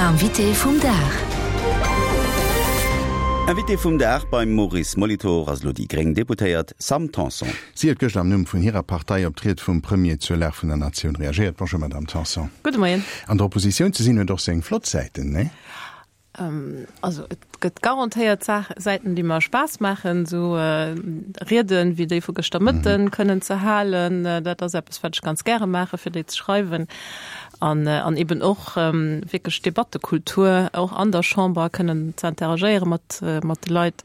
Invité vum Dag. Invité vum Dag beim Maurice Molitor ass elo déi gréng Deputéiert Sam Tanson. Si huet gëschter am Numm vun hirer Partei op d'Ried vum Premier zur Lag vun der Natioun reagéiert. Bonjour Madame Tanson. Gudde Moien. An der Oppositioun ze sinn huet och seng flott Säiten, nee? Also et gëtt garantéiert Säiten, déi mer Spaass maachen, esou Rieden wéi déi vu gëschter Mëtten kënnen ze halen. Dat ass eppes, wat ech ganz gäre maachen, fir déi ze schreiwen. An an eben och wierklech d'Debattekultur och an der Chamber kënnen ze interagéiere mat mat de Leit.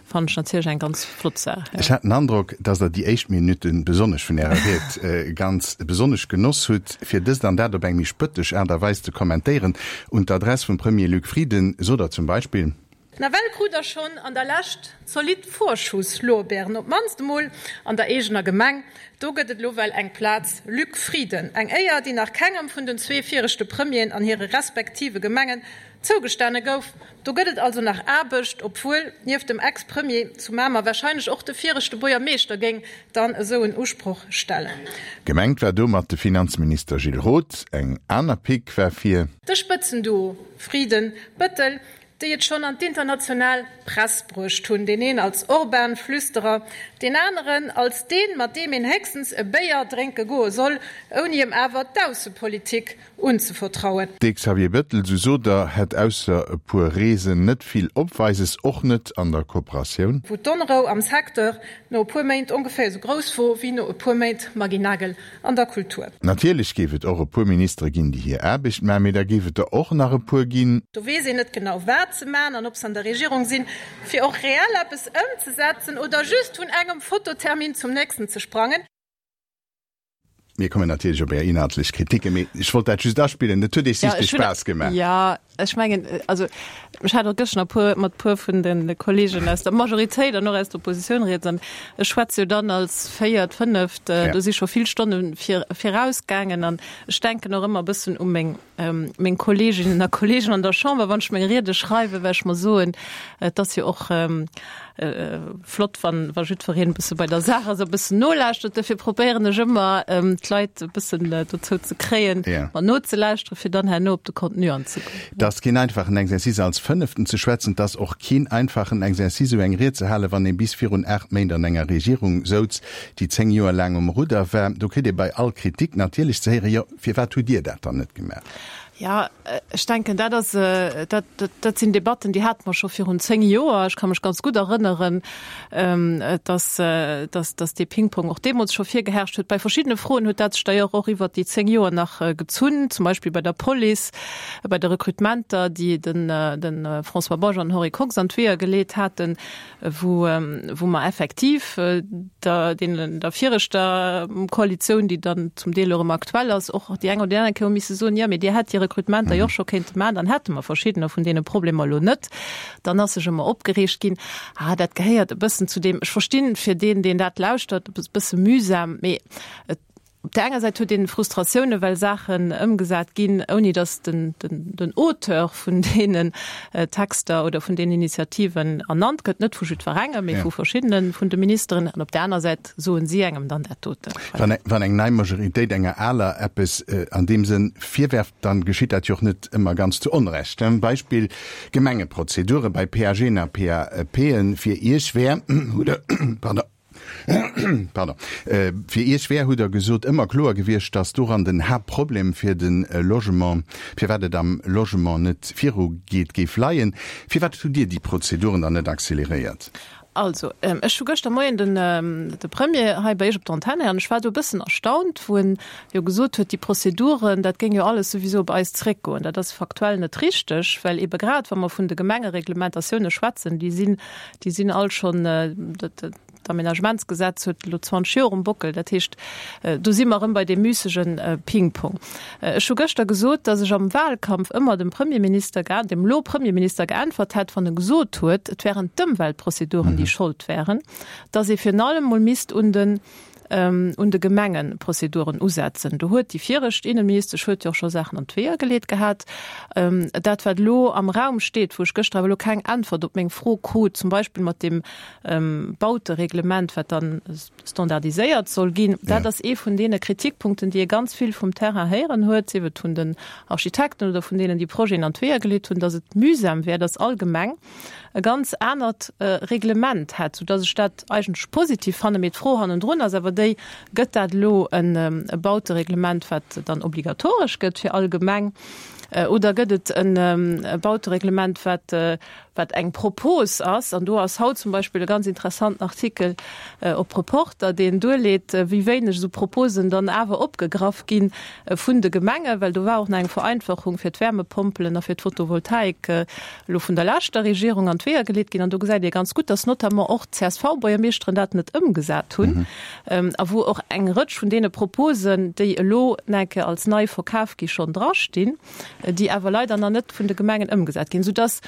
Fannen ech natierlech eng ganz flott Saach. Ech hat den Androck, dass Der déi éischt Minutte besonnesch vun Ärer Ried ganz besonnesch genoss hutt, fir dëst an dat op eng méi spëttesch Aart a Weis ze kommentéieren. Un d'Adress vum Premier Luc Frieden sot Der zum Beispill. Nawell krut der schonn an der Lescht zolidd Vorschusslorbeeren, op d'mannst emol an der eegener Gemeng. Do gëtt et elo well eng Plaz Luc Frieden. Eng Éier, déi nach kengem vun den zwee viregte Premieren an hire respektive Gemengen zougestane gouf. Do gëtt et also nach Aarbecht, obwuel nieft dem Ex-Premier zu Mamer warscheinlech och de viregte Buergermeeschter géing dann esou en Usproch stellen. Gemengt war domat de Finanzminister Gilles Roth. Eng aner Pick war fir. De Spëtzenduo Frieden, Bëttel, déi et schonn an d'international Press bruecht hunn, deen een als Orban-Flüsterer, deen aneren als deen, mat deem een héchstens e Béier drénke goe soll, ouni em awer d'Aussepolitik unzevertrauen. De Xavier Bettel, sou sot der, hätt ausser e puer Reesen net vill Opweises, och net an der Kooperatioun. Wou d'Onrou am Secteur no e puer Méint ongeféier esou grouss wor wéi no e puer Méint Maggy Nagel an der Kultur. Natierlech géif et och e puer Ministere ginn, déi hir Aarbecht man, mee da géif et der och nach e puer ginn. Do weess een net genau wat se man an ob se an der Regierung sinn, fir och reell eppes ëmzesetzen oder just vun engem Fototermin zum nächsten ze sprangen. Mir kommen natierlech op Är inhaltlech Kritiken, mee ech wollt dat just aspillen. Et huet Iech sichtlech Spaass gemaach. Jo, ech mengen, also ech hat och gëschter e puer, mat e puer vun de Kolleegen aus der Majoritéit an och aus der Oppositioun rieds an ech schwätze jo dann als Véiert, Fënneft, do si scho vill Stonne vir, virausgaangen an ech denken och ëmmer e bëssen u meng, meng Kolleeginnen a Kolleegen an der Chamber, wann ech meng Riede schreiwen, well ech mer soen, et ass jo och, Flott wann wa jiddwereen e bësse bei der Saach ass a bëssen nolauschtert. Dofir probéieren ech ëmmer d'Leit e bëssen dozou ze kréien, mer nozelauschteren, fir dann herno op de Contenu anzegoen. Et ass keen einfachen Exercice als Fënneften ze schwätzen. Et ass och keen einfachen Exercice esou eng Ried ze halen, wann ee bis virun 8 Méint an enger Regierung souz, déi 10 Joer laang um Rudder war. Do kritt ee bei all Kritik natierlech ze héieren, jo firwat hutt Dir dat dann net gemaach? Jo, ech denken, dat ass, dat, dat sinn Debatten, déi hate mer scho virun 10 Joer. Ech ka mech ganz gutt erënneren, dass, dass, dass dee Pingpong och deemools scho virgeherrscht huet. Bei verschiddene Froen huet dat sech d'ailleurs och iwwert déi 10 Joer nach gezunn, zum Beispill bei der Police, bei de Recrutementer, déi den, de François Bausch an den Henri Kox an d'Weeër geleet haten. wou wou mer effektiv der deenen der viregter Koalitioun, déi dann zum Deel och erëm aktuell ass, och déi eng oder déi aner Kéier hu misse soen, jo, mee Dir hätt déi Recrutementer jo och scho kéinte maachen, dann hätte mer verschiddener vun deene Problemer elo net. Dann ass sech ëmmer opgereegt ginn. Ah, dat gehéiert e bëssen zu deem, ech verstinn, fir deen, deen dat lauschtert, e bësse mühsam, mee et Op där enger Säit huet een Frustratioune well Saachen ëmgesat ginn, ouni datt den den Auteur vun deenen Texter oder vun deenen Initiativen ernannt gëtt, net vu jiddwerengem, mee vu verschiddene vun de Ministeren. An op där aner Säit soen si engem dann dat doten. Wann eng nei Majoritéit enger aler eppes an deem Sënn virwerft, dann geschitt dat jo och net ëmmer ganz zu Onrecht. Beispill, Gemengeprozedure bei PAGen a PAPen. Fir Iech wär, hutt Der, pardon, Pardon. Fir Iech wär, hutt Der gesot, ëmmer kloer gewiescht, datt doran den Haaptproblem fir de Logement, firwat et am Logement net virugeet, géif leien. Firwat hutt Dir déi Prozeduren dann net acceleréiert? Also, ech hu gëschter Moien den de Premier hei bei Iech op der Antenn héieren. Ech war do e bëssen erstaunt, wou en jo gesot huet, déi Prozeduren, dat géing jo alles souwisou op eis zréckgoen. Dat ass faktuell net richteg, well eebe grad, wa mer vun de Gemengereglementatioune schwätzen, déi sinn, Déi sinn all schonn, d'Aménagementsgesetz huet elo 20 Joer um Bockel. Dat heescht, do si mer erëm bei deem müssege Pingpong. Ech hu gëschter gesot, datt ech am Wahlkampf ëmmer dem Premierminister, dem elo Premierminister geäntwert hätt, wann e gesot huet, et wären d'Ëmweltprozeduren, déi Schold wären, datt ee virun allem mol misst un den. Un de Gemengeprozeduren usetzen. Do huet déi viregt Innenministesch huet jo och scho Saachen an d'Weeër geleet gehat. Dat, wat elo am Raum steet, wou ech gëschter awer elo keng Äntwert op meng Fro krut, zum Beispill mat deem Bautereglement, wat dann standardiséiert soll ginn, dat ass ee vun deene Kritikpunkten, déi ee ganz vill vum Terrain héieren huet, sief et vun den Architekten oder vun deenen, déi Projeten an d'Weeër geleet hunn, datt et mühsam wär, datt all Gemeng e ganz anert Reglement hätt, soudass ech dat eigentlech positiv fannen. Mee d'Fro hannendrun ass awer déi, Gëtt dat elo e Bautereglement, wat dann obligatoresch gëtt fir all Gemeng, oder gëtt et e Bautereglement, wat, wat eng Propos ass? An do ass haut zum Beispill e ganz interessanten Artikel op Reporter, deen duerleet, wéi wéineg esou Proposen dann awer opgegraff gi vun de Gemengen, well do war och nach eng Vereinfachung fir d'Wärmepompelen a fir d'Photovoltaik elo vun der leschter Regierung an d'Weeër geleet ginn. An do gesäit ee ganz gutt, dass notamment och d'CSV-Buergermeeschteren dat net ëmgesat hunn a wou och eng Rëtsch vun deene Proposen, déi elo nach eng Kéier als nei verkaf gi schonn drastinn, déi awer leider nach net vun de Gemengen ëmgesat ginn, soudass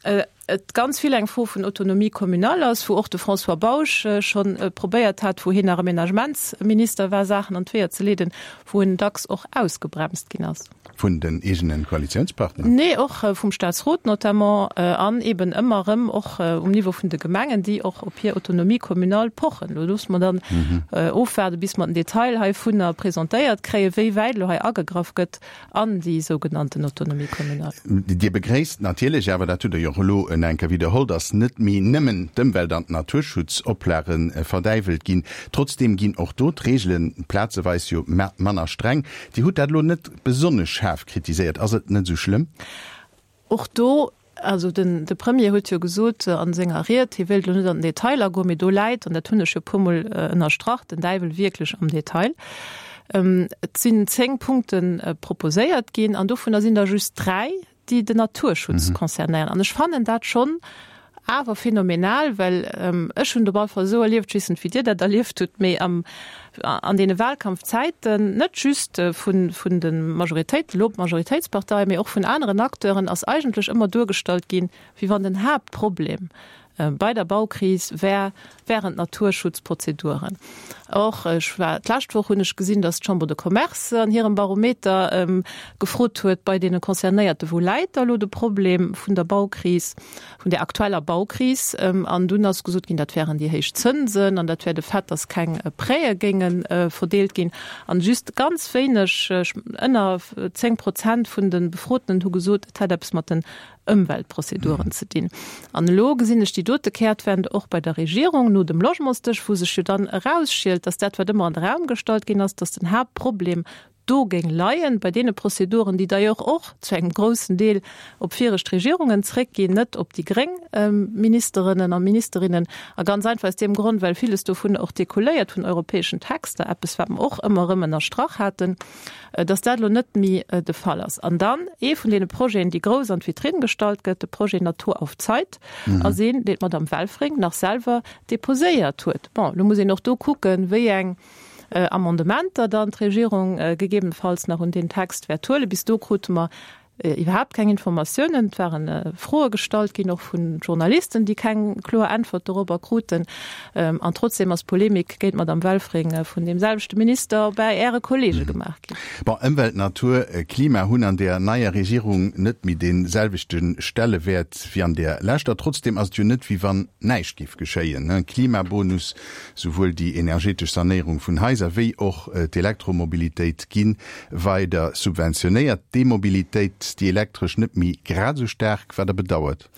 et ganz vill eng Fro vun Autonomie communale ass, wou och de François Bausch scho probéiert hat, wou hien nach Aménagementsminister war, Saachen an d'Weeër ze leeden, wou en dacks och ausgebremst ginn ass. Vun den eegenen Koalitiounspartner? Nee, och vum Staatsrot notamment an eben ëmmer erëm och um Niveau vun de Gemengen, déi och op hir Autonomie communale pochen. Elo loosse mer dann ofwaarden, bis mer den Detail heivunner presentéiert kréien, wéi wäit elo hei agegraff gëtt an déi sougenannten Autonomie communale. Dir begréisst natierlech awer, dat hutt Der jo och elo en enker widderholl, datt net méi nëmmen d'Ëmwelt an d'Naturschutzoplage verdäiwelt ginn. Trotzdeem ginn och do d'Reegele plazeweis jo manner streng. Dir hutt dat elo net besonnesch schaarf kritiséiert. Ass et net esou schlëmm? Och do, also den de Premier huet jo gesot a senger Ried, hie wéilt elo net an den Detail agoen, mee do läit, an dat hunn ech jo e puermol ënnerstrach, den Däiwel wierklech am Detail. Et sinn 10 Punkte proposéiert ginn an dovunner sinn der just 3, déi den Naturschutz concernéieren. An ech fannen dat schonn awer phänomenal, well ech hunn et op alle Fall esou erlieft, ech weess net, wéi Dir dat erlieft hutt, mee am, an deene Wahlkampfzäiten, net just vun, vun de Majoritéit, elo Majoritéitsparteien, mee och vun aneren Acteuren, ass eigentlech ëmmer duergestallt ginn, wéi wann den Haaptproblem bei der Baukris wär, wären d'Naturschutzprozeduren. Och ech war, d'lescht Woch hunn ech gesinn, datt d'Chambre de Commerce an hirem Barometer gefrot huet bei deene Concernéierten, wou läit da elo de Problem vun der Baukris, vun där aktueller Baukris. An dunn ass gesot ginn, dat wären déi héich Zënsen an dat wär de Fait, datt keng Prêtë géinge verdeelt ginn. An just ganz wéineg, ënner 10 Prozent vun de Befrotenen hu gesot, et hätt eppes mat den Ëmweltprozeduren ze dinn. An elo gesinn ech déi dote Kehrtwende och bei der Regierung no dem Logementsdësch, wou sech jo dann erausschielt, dass dat, wat ëmmer an de Raum gestallt ginn ass, dass den Haaptproblem do géing leien, bei deene Prozeduren, déi d'ailleurs och zu engem groussen Deel op viregt Regierungen zréckginn, net op déi gréng Ministerennen a Ministerinnen. A ganz einfach aus deem Grond, well villes dovun och découléiert vun europäeschen Texter, eppes wat mer och ëmmer erëm ënnerstrach haten. dass dat elo net méi de Fall ass. An dann ee vun deene Projeten, déi grouss an d'Vitrinn gestallt gëtt, de Projet Natur auf Zeit, ass een, deen d'Madame Welfring nach selwer déposéiert huet. Bon, elo muss een och do kucken, wéi eng Amendementer dann d'Regierung gegebenenfalls nach un deen Text wäert huelen. Bis do krute mer Iwwerhaapt keng Informatiounen. Et ware Froe gestallt ginn, och vu Journalisten, déi keng kloer Äntwert dorobber kruten. An trotzdeem ass Polemik géint d'Madame Welfring vun deem selwechte Minister bäi Äre Kollege gemaach ginn. Bon, Ëmwelt, Natur, Klima hunn an där neier Regierung net méi dee selwechte Stellewäert wéi an där leschter. Trotzdeem ass et jo net, wéi wann näischt géif geschéien. Klimabonus, souwuel déi energetesch Sanéierung vun Haiser wéi och d'Elektromobilitéit gi weider subventionéiert d'E-Mobilitéit, déi elektresch, net méi grad esou staark, wat Der bedauert?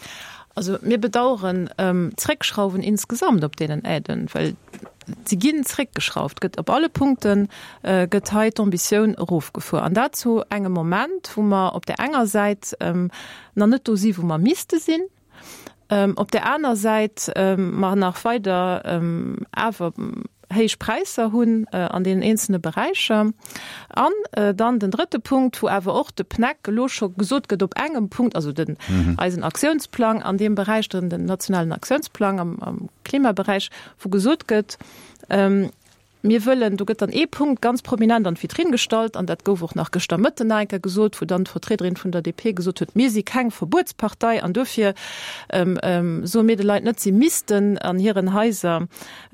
Also mir bedauern d'Zréckschrauwen insgesamt op deenen Aiden, well se ginn zréckgeschrauft, gëtt op alle Punkte gëtt hei d'Ambitioun erofgefuer. An dat zu engem Moment, wou mer op där enger Säit nach net do si wou mer misste sinn, Op där aner Säit mer nach weider awer héich Präisser hunn an deenen eenzelne Beräicher. An dann den drëtte Punkt, wou awer och de PNEC elo scho gesot gëtt op engem Punkt, also den eisen Aktiounsplang an deem Beräich, den nationalen Aktiounsplang am Klimaberäich, wou gesot gëtt. Mir wëllen, do gëtt dann ee Punkt ganz prominent an d'Vitrinn gestallt, an dat gouf och nach gëschter Mëtten nach eng Kéier gesot, wou dann d'Vertriederin vun der DP gesot huet, Mir si keng Verbuetspartei an duerfir soe mir de Leit net, si missten an hiren Haiser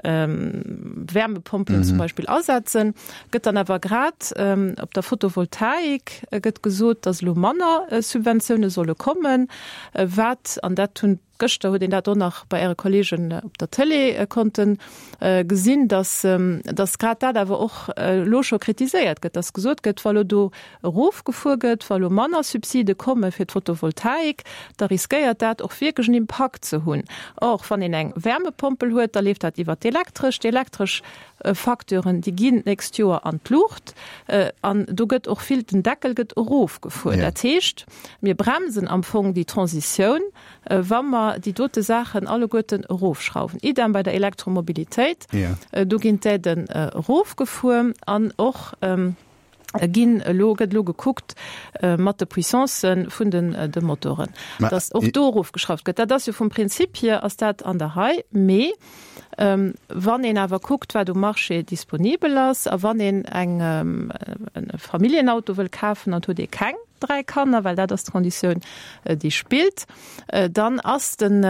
Wärmepompelen zum Beispill asetzen. Gëtt dann awer grad op der Photovoltaik gëtt gesot, datt elo manner Subventioune solle kommen, wat, an dat hunn Gëschter huet een dat och nach bei Äre Kollegen op der Tëlee konnte gesinn, dass, dass grad dat awer och elo scho kritiséiert gëtt, dass gesot gëtt, wa lo do erofgefuer gëtt, wa lo manner Subside komme fir d'Photovoltaik, da riskéiert dat och wierklech en Impakt ze hunn. Or, wann een eng Wärmepompel huet, da leeft dat iwwert d'Elektresch. D'Elektresch Facturen, déi ginn d'nächst Joer an d'Luucht an do gëtt och vill, den Deckel gëtt erofgefuer. Dat heescht, mir bremsen am Fong déi Transitioun, wa mer déi dote Saachen alleguerten erofschrauwen. Idem bei der Elektromobilitéit, do ginn d'Aiden erofgefuer an och ginn elo, gëtt elo gekuckt mat de Puissancë vun den de Motoren, dass och do erofgeschrauft gëtt. Dat ass jo vum Prinzip hier ass dat an der Rei. Mee wann een awer kuckt, wat um Marché disponibel ass a wann een eng e Familljenauto wëll kafen an et huet ee keng 3 Kanner, well dat ass d'Konditioun, déi spillt, dann ass den,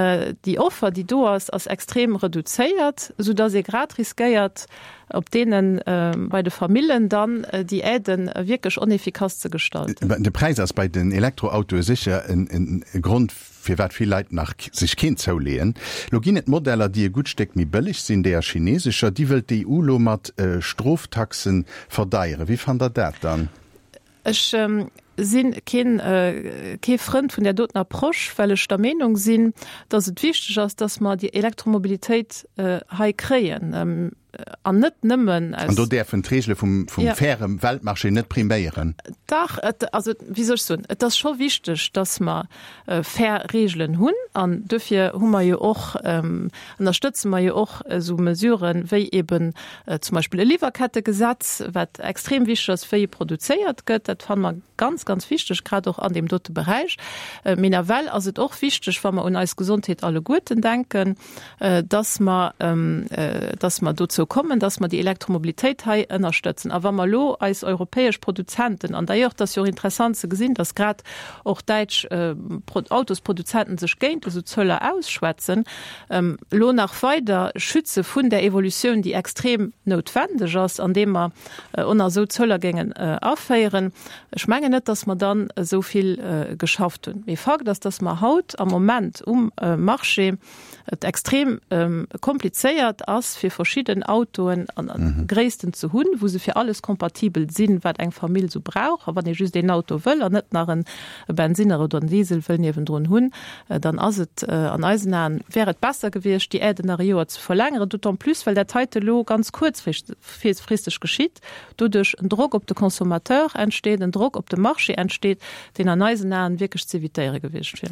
déi Offer, déi do ass, ass extrem reduzéiert, soudass ee grad riskéiert, op deenen, bei de Famillen dann déi Aiden wierklech onefficace ze gestalten. De Präis ass bei den Elektroautoe sécher e Grond, firwat vill Leit nach sech keen zouleeën. Lo ginn et Modeller, déi e gutt Stéck méi bëlleg sinn, déi a chinesescher. Déi wëllt d'EU lo mat Stroftaxen verdeieren. Wéi fannt Der dat dann? Ech si keen, kee Frënd vun där doten Approche, well ech der Meenung sinn, dass et wichteg ass, dass mer déi Elektromobilitéit hei kréien an net nëmmen aus. An do däerfen d'Regele vum, vum faire Weltmarché net priméieren? Dach, et, also wéi soll ech soen, et ass scho wichteg, dass mer fair Regelen hunn an duerfir hu mer jo och, ënnerstëtze mer jo och esou Mesuren, wéi eben zum Beispill e Liwwerkettegesetz, wat extrem wichteg ass, wéi produzéiert gëtt. Dat fanne mer ganz, ganz wichteg, grad och an deem dote Beräich. Mee nawell ass et och wichteg, wa mer un eis Gesondheet alleguerten denken, dass mer, dass mer dozou kommen, dass mer déi Elektromobilitéit hei ënnerstëtzen. A wa mer elo eis europäesch Produzenten, an d'ailleurs, et ass jo och interessant ze gesinn, dass grad och däitsch Autosproduzenten sech géint esou Zöller ausschwätzen, elo nach weider schütze vun där Evolutioun, déi extrem noutwendeg ass, andeem mer och nach esou Zöller géingen aféieren. Ech mengen net, dass mer dann esou vill geschafft hunn. Mee Fakt ass, dass mer haut am Moment um Marché et extrem komplizéiert ass, fir verschidden Autoen an Gréissten ze hunn, wou se fir alles kompatibel sinn, wat eng Famill esou brauch. A wann ee just een Auto wëll an net nach en Bensinner oder en Diesel wëll niewendrun hunn, dann ass et an eisen Aen, wär et besser gewiescht, déi Aiden nach e Joer ze verlängeren, d'autant plus well dat heite elo ganz kuerzfristeg geschitt, doduerch en Drock op de Consommateur entsteet, en Drock op de Marché entsteet, deen an eisen Aen wierklech z'evitéiere gewiescht wier.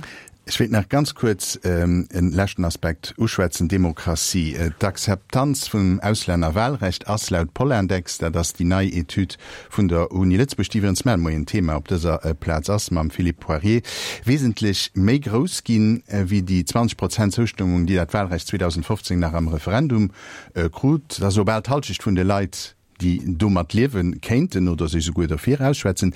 Ech wéilt nach ganz kuerz e leschten Aspekt uschwätzen, Demokratie. D'Akzeptanz vum Auslännerwahlrecht ass laut Polindex, dat ass déi nei Etüd vun der Uni Lëtzebuerg, déi iwwregens mar Moien Thema op dëser Plaz ass mam Philippe Poirier, wesentlech méi grouss ginn, wéi déi 20 Prozent Zoustëmmung, déi dat Wahlrecht 2015 nach am Referendum krut. Dat ass elo bal d'Halschecht vun de Leit, déi domat liewe kéinten oder sech esouguer derfir ausschwätzen.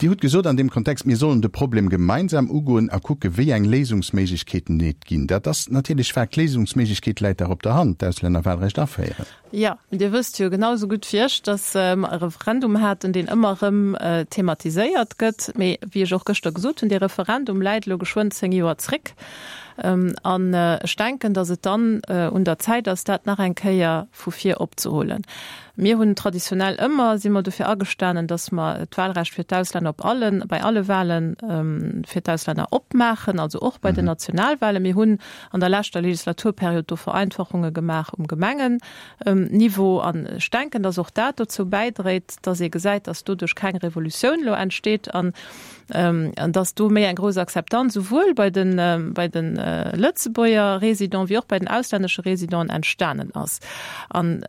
Dir hutt gesot an deem Kontext, mir sollen de Problem gemeinsam ugoen a kucke wéi eng Léisungsméiglechkeeten et ginn. Dat ass natierlech vague. D'Léisungsméiglechkeet läit dach op der Hand, d'Auslännerwahlrecht aféieren. Jo, mee Dir wësst jo genau esou gutt wéi ech, datt mer e Referendum haten, deen ëmmer erëm thematiséiert gëtt. Mee wéi ech och gëschter gesot hunn, dee Referendum läit elo geschwënn 10 Joer zréck. An ech denken, datt et dann un der Zäit ass, dat nach eng Kéier vu vir opzehuelen. Mir hunn traditionell ëmmer, si mer dofir agestanen, datt mer d'Wahlrecht fir d'Auslänner op allen, bei alle Wahle fir d'Auslänner opmaachen, also och bei den Nationalwahlen. Mir hunn an der leschter Legislaturperiod do Vereinfachunge gemaach um Gemengenniveau. An ech denken, datt och dat dozou bäidréit, datt ee gesäit, datt doduerch keng Revolutioun elo entsteet an dass do méi eng grouss Akzeptanz souwuel bei de bei de Lëtzebuerger Résidenten wéi och bei den auslännesche Résidenten entstanen ass. An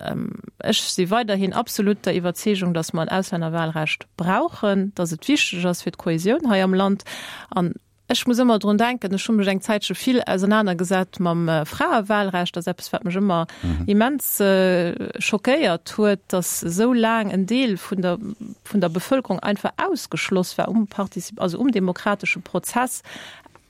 ech si weiderhin absolut der Iwwerzeegung, dass mer en Auslännerwahlrecht brauchen, dass et wichteg ass fir d'Kohesioun hei am Land. An. Ech muss ëmmer drun denken, ech hu mech eng Zäitche vill ausernanergesat mam Fraewahlrecht. Dat ass eppes, wat mech ëmmer immens schockéiert huet, datt esou laang en Deel vun der, vun der Bevëlkerung einfach ausgeschloss war um Partizip, also um demokratesche Prozess,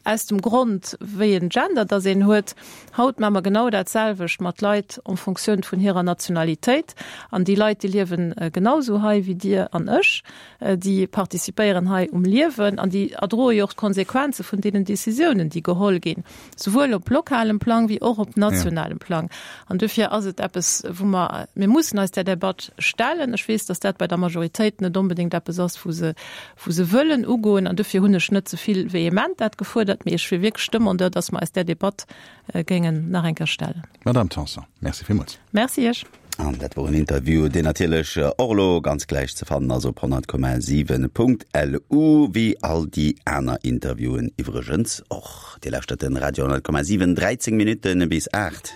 aus dem Grond, wéi en Gender datt een huet. Haut maache mer genau dat selwecht mat Leit en Fonctioun vun hirer Nationalitéit. An déi Leit, déi liewen genau esou hei wéi Dir an ech. Déi participéieren hei um Liewen an déi erdroe jo och d'Konsequenze vun deenen Décisiounen, déi geholl ginn, souwuel op lokalem Plang wéi och op nationalem Plang. An dofir ass et eppes, wou mer, mir mussen eis där Debatt stellen. Ech weess, datt dat bei der Majoritéit net onbedéngt eppes ass, wou se, wou se wëllen ugoen. An dofir hunn ech net ze vill vehement dat gefuerdert, mee ech wier wierklech Demandeur, datt mer eis där Debatt géingen nach eng Kéier stellen. Madamm Tanson, Merci villmools. Merci Iech. An dat wor en Interview, deen natierlech och elo ganz gläich ze fannen ass op 100,7.lu, wéi all déi aner Interviewen iwwregens och. Dir lauschtert den Radio 100,7, 13 Minutten bis 8.